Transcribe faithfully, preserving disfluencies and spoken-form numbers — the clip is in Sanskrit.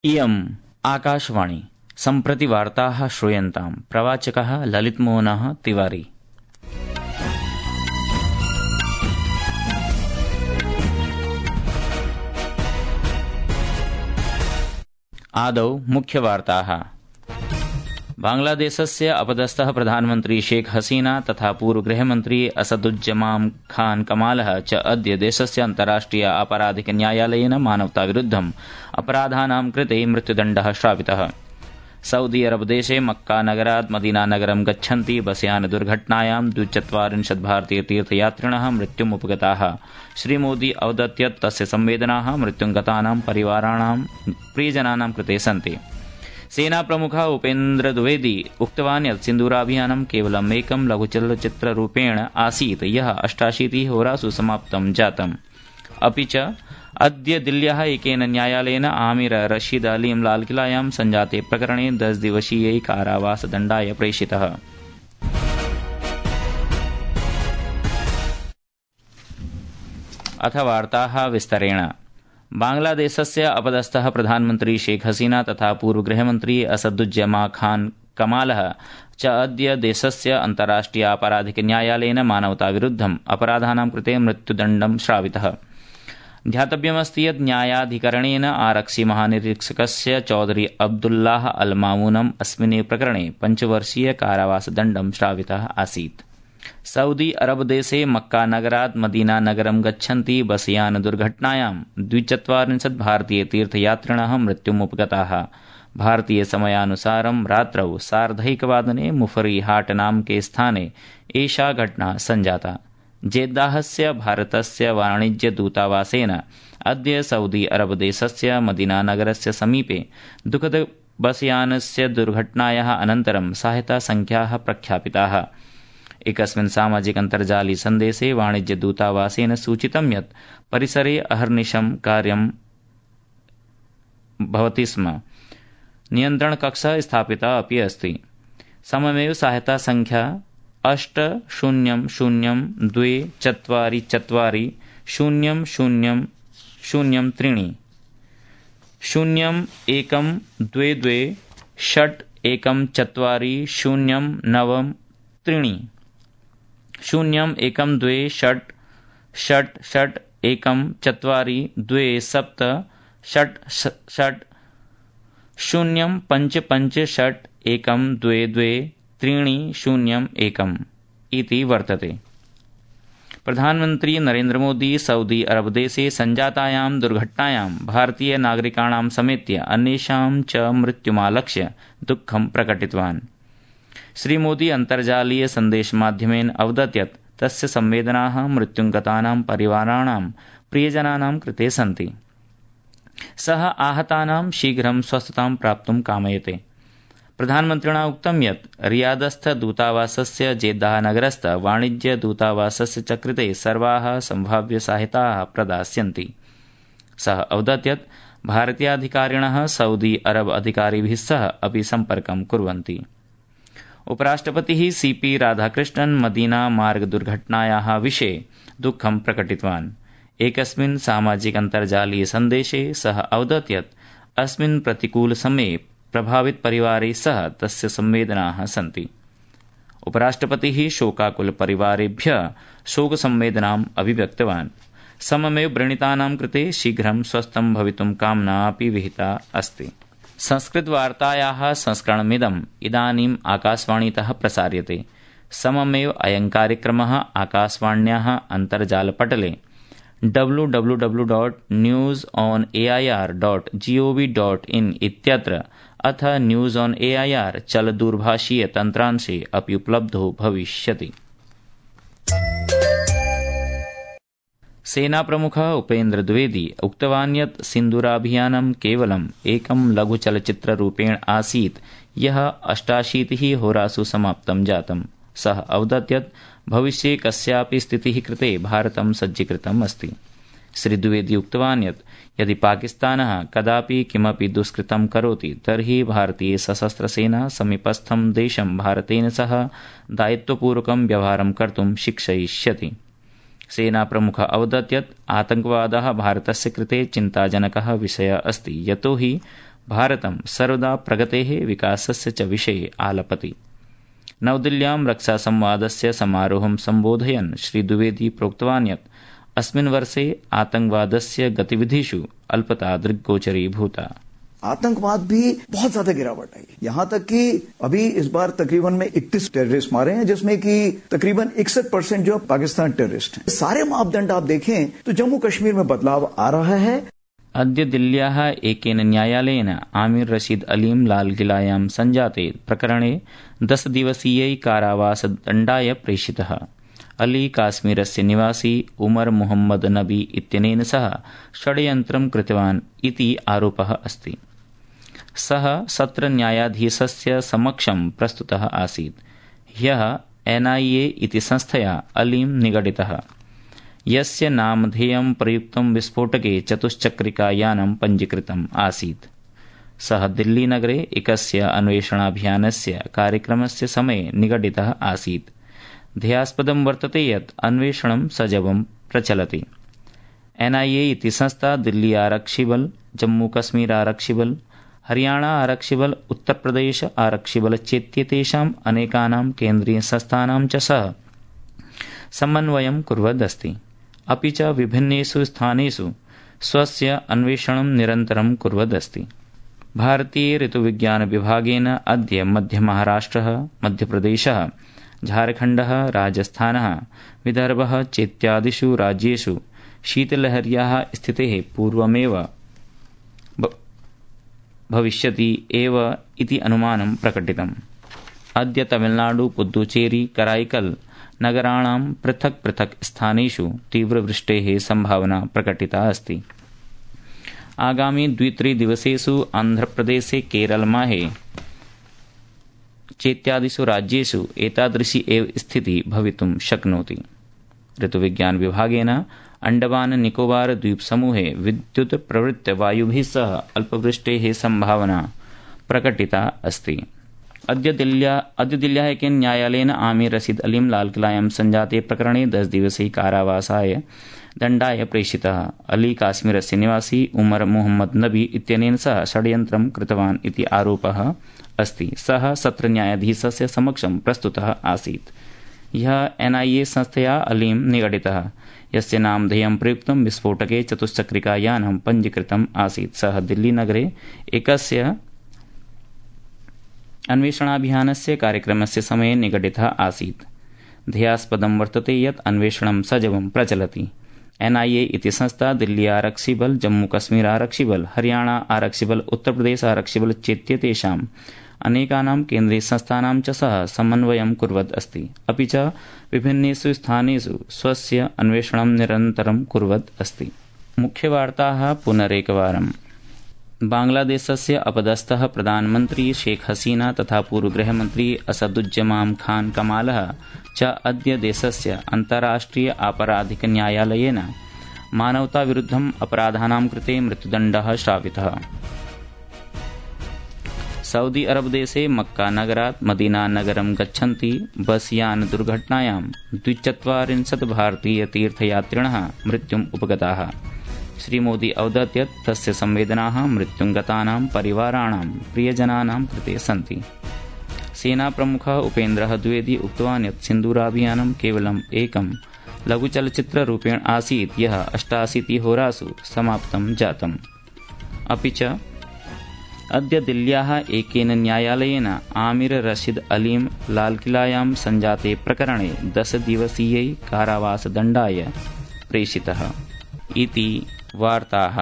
इयम् आकाशवाणी। सम्प्रति वार्ताः श्रूयन्ताम्। प्रवाचकः ललितमोहनः तिवारी। आदौ मुख्यवार्ताः। बांग्लादेशस्य अपदस्थः प्रधानमन्त्री शेख हसीना तथा पूर्वगृहमन्त्री असदुज्जमान् खान कमालः च अद्य देशस्य अन्ताराष्ट्रिय आपराधिक न्यायालयेन मानवताविरुद्धम् अपराधानां कृते मृत्युदण्डः श्रावितः। सऊदी अरबदेशे मक्का नगरात् मदीना नगरं गच्छन्ति बसयान दुर्घटनायां द्विचत्वारिंशत् भारतीय तीर्थयात्रिणः मृत्युम् उपगताः। श्रीमोदी अवदत् यत् तस्य संवेदनाः मृत्युङ्गतानां परिवाराणां प्रियजनानां कृते सन्ति। सेनाप्रमुखः उपेन्द्र द्विवेदी उक्तवान् यत् सिन्दूराभियानं केवलम् एकं लघुचलच्चित्ररूपेण आसीत् यः अष्टाशीतिः होरासु समाप्तं जातम्। अपि च अद्य दिल्ल्याः एकेन न्यायालयेन आमिर रशीद अलीं लालकिलायां सञ्जाते प्रकरणे दश दिवसीयै कारावासदण्डाय प्रेषितः। अथ वार्ताः विस्तरेण। बांग्लादेशस्य अपदस्थः प्रधानमन्त्री शेख हसीना तथा पूर्वगृहमन्त्री असदुज्जमान् खान कमालः च अद्य देशस्य अन्ताराष्ट्रिय आपराधिक न्यायालयेन मानवताविरुद्धम् अपराधानां कृते मृत्युदण्डं श्रावितः। ध्यातव्यमस्ति यत् न्यायाधिकरणेन आरक्षि महानिरीक्षकस्य चौधरी अब्दुल्लाह अल मामूनम् अस्मिन् प्रकरणे पञ्चवर्षीय कारावासदण्डं श्रावितः आसीत्। सऊदी अरबदेशे मक्का नगरात् मदीना नगरं गच्छन्ति बसयान दुर्घटनायां द्विचत्वारिंशत् भारतीय तीर्थयात्रिणः मृत्युम् उपगताः। भारतीय समयानुसारं रात्रौ सार्धैकवादने मुफरी हाट नामके स्थाने एषा घटना सञ्जाता। जेद्दाहस्य भारतस्य वाणिज्यदूतावासेन अद्य सऊदी अरबदेशस्य मदीना नगरस्य समीपे दुःखद बसयानस्य दुर्घटनायाः अनन्तरं सहायतासंख्याः प्रख्यापिताः। एकस्मिन् सामाजिक अन्तर्जालीय सन्देशे वाणिज्यदूतावासेन सूचितं यत् परिसरे अहर्निशं कार्यं भवति स्म। नियन्त्रणकक्षः स्थापितः अपि अस्ति। सममेव सहायतासंख्या अष्ट शून्यं शून्यं द्वे चत्वारि चत्वारि शून्यं शून्यं शून्यं त्रीणि शून्यं एकं द्वे द्वे षट् एकं चत्वारि शून्यं नव त्रीणि शून्यं एकं द्वे षट् षट् षट् एकं चत्वारि द्वे सप्त षट् षट् शून्यं पञ्च पञ्च षट् एकं द्वे द्वे त्रीणि शून्यम् एकम् इति वर्तते। प्रधानमन्त्री नरेन्द्रमोदी सऊदी अरबदेशे सञ्जातायां दुर्घटनायां भारतीय नागरिकाणां समेत्य अन्येषां च मृत्युमालक्ष्य दुःखं प्रकटितवान्। श्रीमोदी अन्तर्जालीय सन्देशमाध्यमेन अवदत् यत् तस्य संवेदनाः मृत्युङ्गतानां परिवाराणां प्रियजनानां कृते सन्ति। सः आहतानां शीघ्रं स्वस्थतां प्राप्तुं कामयते। प्रधानमन्त्रिणा उक्तं यत् रियादस्थ दूतावासस्य जेद्दाह नगरस्थ वाणिज्य दूतावासस्य च कृते सर्वाः सम्भाव्यसहायताः प्रदास्यन्ति। सः अवदत् यत् भारतीयाधिकारिणः सऊदी अरब अधिकारिभिः सह अपि सम्पर्कं कुर्वन्ति। उपराष्ट्रपतिः सी पी राधाकृष्णन् मदीना मार्ग दुर्घटनायाः विषये दुःखं प्रकटितवान्। एकस्मिन् सामाजिक अन्तर्जालीय सन्देशे सः अवदत् यत् अस्मिन् प्रतिकूलसमये प्रभावित परिवारे सह तस्य संवेदनाः सन्ति। उपराष्ट्रपतिः शोकाकुल परिवारेभ्यः शोकसंवेदनाम् अभिव्यक्तवान्। सममेव व्रणितानां कृते शीघ्रं स्वस्थं भवितुं कामना अपि विहिता अस्ति। संस्कृतवार्तायाः संस्करणमिदम् इदानीम् आकाशवाणीतः प्रसार्यते। सममेव अयं कार्यक्रमः आकाशवाण्याः अन्तर्जालपटले W W W dot news on A I R dot G O V dot in इत्यत्र अथ news on A I R चलदूरभाषीय तन्त्रांशे अपि उपलब्धो भविष्यति। सेनाप्रमुखः उपेन्द्र द्विवेदी उक्तवान् यत् सिन्दूराभियानं केवलम् एकं लघुचलच्चित्ररूपेण आसीत् यः अष्टाशीतिः होरासु समाप्तं जातम्। सः अवदत् यत् भविष्ये कस्यापि स्थितिः कृते भारतं सज्जीकृतम् अस्ति। श्री द्विवेदी उक्तवान् यत् यदि पाकिस्तानः कदापि किमपि दुष्कृतं करोति तर्हि भारतीय सशस्त्रसेना समीपस्थं देशं भारतेन सह दायित्वपूर्वकं व्यवहारं कर्तुं शिक्षयिष्यति। सेनाप्रमुखः अवदत् यत् आतङ्कवादः भारतस्य कृते चिन्ताजनकः विषयः अस्ति, यतोहि भारतं सर्वदा प्रगतेः विकासस्य च विषये आलपति। नवदिल्ल्यां रक्षासंवादस्य समारोहं सम्बोधयन् श्री द्विवेदी प्रोक्तवान् यत् अस्मिन् वर्षे आतंकवादस्य गतिविधिषु अल्पता दृग्गोचरीभूता। आतंकवाद भी बहुत ज्यादा गिरावट आई, यहाँ तक कि अभी इस बार तकरीबन में इकतीस टेररिस्ट मारे हैं, जिसमें कि तकरीबन इकसठ परसेंट जो पाकिस्तान टेररिस्ट हैं। सारे मापदंड आप देखें तो जम्मू कश्मीर में बदलाव आ रहा है। अद्य दिल्ल्याः एकेन न्यायालयेन आमिर रशीद अलीं लालकिलायां संजाते प्रकरणे दश दिवसीयै कारावासदण्डाय प्रेषितः। अली काश्मीरस्य निवासी उमर मुहम्मद नबी इत्यनेन सह षड्यन्त्रं कृतवान् इति आरोपः अस्ति। सः सत्रन्यायाधीशस्य समक्षं प्रस्तुतः आसीत्। ह्यः एनआईए इति संस्थया अलीं निगडितः, यस्य नामधेयं प्रयुक्तं विस्फोटके चतुश्चक्रिकायानं पञ्जीकृतम् आसीत्। सः दिल्लीनगरे एकस्य अन्वेषणाभियानस्य कार्यक्रमस्य समये निगडितः आसीत्। ध्येयास्पदं वर्तते यत् अन्वेषणं सजवं प्रचलति। एनआईए इति संस्था दिल्ली आरक्षिबल, जम्मू कश्मीर आरक्षिबल, हरियाणा आरक्षिबल, उत्तरप्रदेश आरक्षिबल चेत्येतेषाम् अनेकानां केन्द्रीयसंस्थानां च सह समन्वयं कुर्वदस्ति। अपि च विभिन्नेषु स्थानेषु स्वस्य अन्वेषणं निरन्तरं कुर्वदस्ति। भारतीय ऋतुविज्ञानविभागेन अद्य मध्यमहाराष्ट्रः, मध्यप्रदेशः, झारखण्डः, राजस्थानः, विदर्भः चेत्यादिषु राज्येषु शीतलहर्याः स्थितेः पूर्वमेव भविष्यति एव इति अनुमानं प्रकटितम्। अद्य तमिलनाडु, पुदुचेरी, कराईकल नगराणां पृथक् पृथक् स्थानेषु तीव्रवृष्टेः संभावना प्रकटिता अस्ति। आगामि द्वित्रिदिवसेषु आन्ध्रप्रदेशे, केरलमाहे चेत्यादिषु राज्येषु एतादृशी एव स्थितिः भवितुं शक्नोति। ऋतुविज्ञान विभागेन अंडमान निकोबार द्वीप समूहे विद्युत प्रवृत्त वायुभिः सह अल्पवृष्टेः संभावना प्रकटिता अस्ति। अद्य दिल्ल्या अद्य दिल्ल्याः एकेन न्यायालयेन आमिर रशीद अलीं लालकिलायां संजाते प्रकरणे दश दिवसीय कारावासाय दण्डाय प्रेषितः। अली काश्मीरस्य निवासी उमर मुहम्मद नबी इत्यनेन सह षड्यन्त्रं कृतवान् इति आरोपः अस्ति। सः सत्रन्यायाधीशस्य समक्षं प्रस्तुतः आसीत्। यः एनआईए संस्थया अलीं निगडितः, यस्य नामधेयं प्रयुक्तं विस्फोटके चतुश्चक्रिकायानं पञ्जीकृतम् आसीत्। सः दिल्लीनगरे एकस्य अन्वेषणाभियानस्य कार्यक्रमस्य समये निगडितः आसीत्। ध्येयास्पदं वर्तते यत् अन्वेषणं सजवं प्रचलति। एनआईए इति संस्था दिल्ली आरक्षिबल, जम्मू कश्मीर आरक्षिबल, हरियाणा आरक्षिबल, उत्तरप्रदेश आरक्षिबल चेत्येतेषाम् अनेकानां केन्द्रीयसंस्थानां च सह समन्वयं कुर्वत् अस्ति। अपि च विभिन्नेषु स्थानेषु स्वस्य अन्वेषणं निरन्तरं कुर्वत् अस्ति। मुख्यवार्ताः पुनरेकवारम्। बांग्लादेशस्य अपदस्थः प्रधानमन्त्री शेख हसीना तथा पूर्वगृहमन्त्री असदुज्जमाम खान कमालः च अद्य देशस्य अन्ताराष्ट्रिय आपराधिक न्यायालयेन मानवताविरुद्धम् अपराधानां कृते मृत्युदण्डः श्रावितः। सऊदी अरब देशे मक्का नगरात् मदीना नगरं गच्छन्ति बस यान दुर्घटनायां द्विचत्वारिंशत् भारतीय तीर्थयात्रिणः मृत्युम् उपगताः। श्रीमोदी अवदत् यत् तस्य संवेदनाः मृत्युं गतानां परिवाराणां प्रियजनानां कृते सन्ति। सेनाप्रमुखः उपेन्द्रः द्विवेदी उक्तवान् यत् सिन्दूराभियानं केवलम् एकं लघुचलच्चित्ररूपेण आसीत्, यः अष्टाशीतिहोरासु समाप्तं जातम्। अपि च अद्य दिल्ल्याः एकेन न्यायालयेन आमिर रशीद अलीं लालकिलायां संजाते प्रकरणे दश दिवसीयै कारावासदण्डाय प्रेषितः इति वार्ताः।